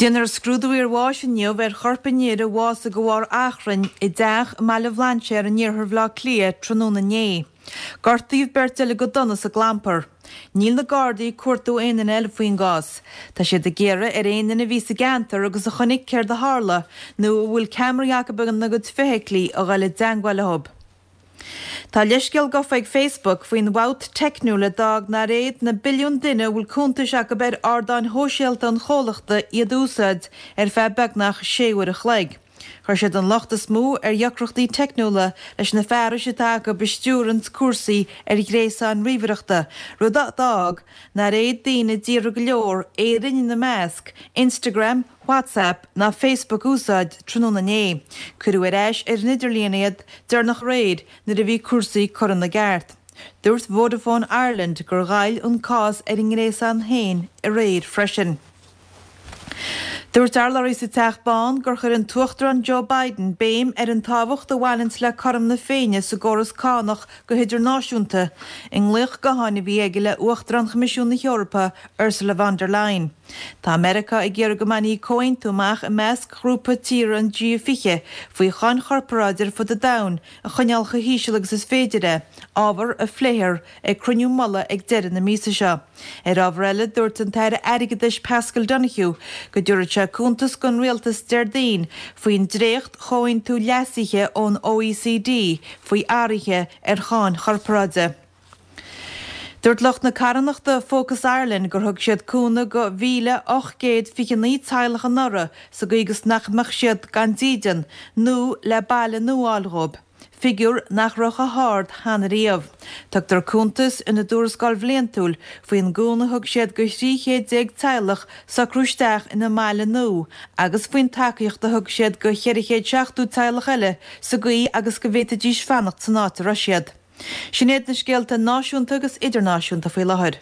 Déanfar scrúdú iarbháis inniu ar chorp an fhir a bhásaigh de bharr achrainn i dteach i mBaile Bhlainséir in iarthar Bhaile Átha Cliath tráthnóna inné. Gortaíodh beirt eile go dona sa gclampar. Níl na Gardaí ag cuartú aon duine eile faoin gcás. Tá siad ag iarraidh ar aon duine a bhí sa gceantar agus a chonaic céard a tharla nó a bhfuil ceamaraí acu ina gcuid feithiclí a dhul i dteangmháil leo. Tá leithscéal gafa ag Facebook faoin bhfabht teicniúil a d'fhág nár fhéad na billiúin duine a bhfuil cuntais acu ar ardáin shóisialta an chomhlachta iad a úsáid ar feadh beagnach sé uair a chloig. Chuir siad an locht is mó ar dheacrachtaí teicniúla leis na fearais atá acu a stiúranns cúrsaí ar ghréasáin ríomhaireachta, rud a d'fhág nár fhéad daoine i dtíortha go leor, Éirinn ina measc, Instagram, WhatsApp ná Facebook a úsáid tráthnóna inné. Cuireadh ar ais ar an idirlíon iad deireanach aréir nuair a bhí cúrsaí curtha ina gceart. Dúirt Vodafone Ireland gur ghoill an cás ar a ngréasán féin aréir freisin. Dúirt urlabhraí sa Teach Bán gur chuir an tUachtarán Joe Biden béim ar an tábhacht a bhaineanns le cothrom na Féinne sa gcóras cánach go hidirnáisiúnta i nglaoch gutháin a bhí aige le Uachtarán Choimisiún na hEorpa Ursula von der Leyen. Tá Meiriceá ag iarraidh go mbainfí comhaontú amach i measc ghrúpa tíortha an G20 faoi cháin chorparáide ar fud an domhain a choinneáil chomh híseal agus is féidir é, ábhar a phléifear ag cruinniú mullaigh ag deireadh na míosa seo. Ar ábhar eile, dúirt an tAire Airgeadais Paschal Donohoe go dtabharfaidh sé cuntas don Rialtas Déardaoin faoin dréacht-chomhaontú leasaithe ón OECD faoi athruithe ar cháin chorparáide. Dúirt lucht na carthanachta Focus Ireland gur thug siad cúnamh go 1,829 teaghlach anuraidh sa gcaoi agus nach mbeadh siad gan dídean nó le baile nua a fháil dhóibh, figiúr nach raibh chomh hard cheana riamh. Tugtar cuntas ina dtuarascáil bhliantúil faoin gcúnamh a thug siad go 13 chéad teaghlach socrú isteach ina mbaile nua agus faoin tacaíocht a thug siad go 470 teaghlach eile sa gcaoi agus go bhféadfaidís fanacht san áit a raibh siad. Sin iad na scéalta náisiúnta agus idirnáisiúnta faoi láthair.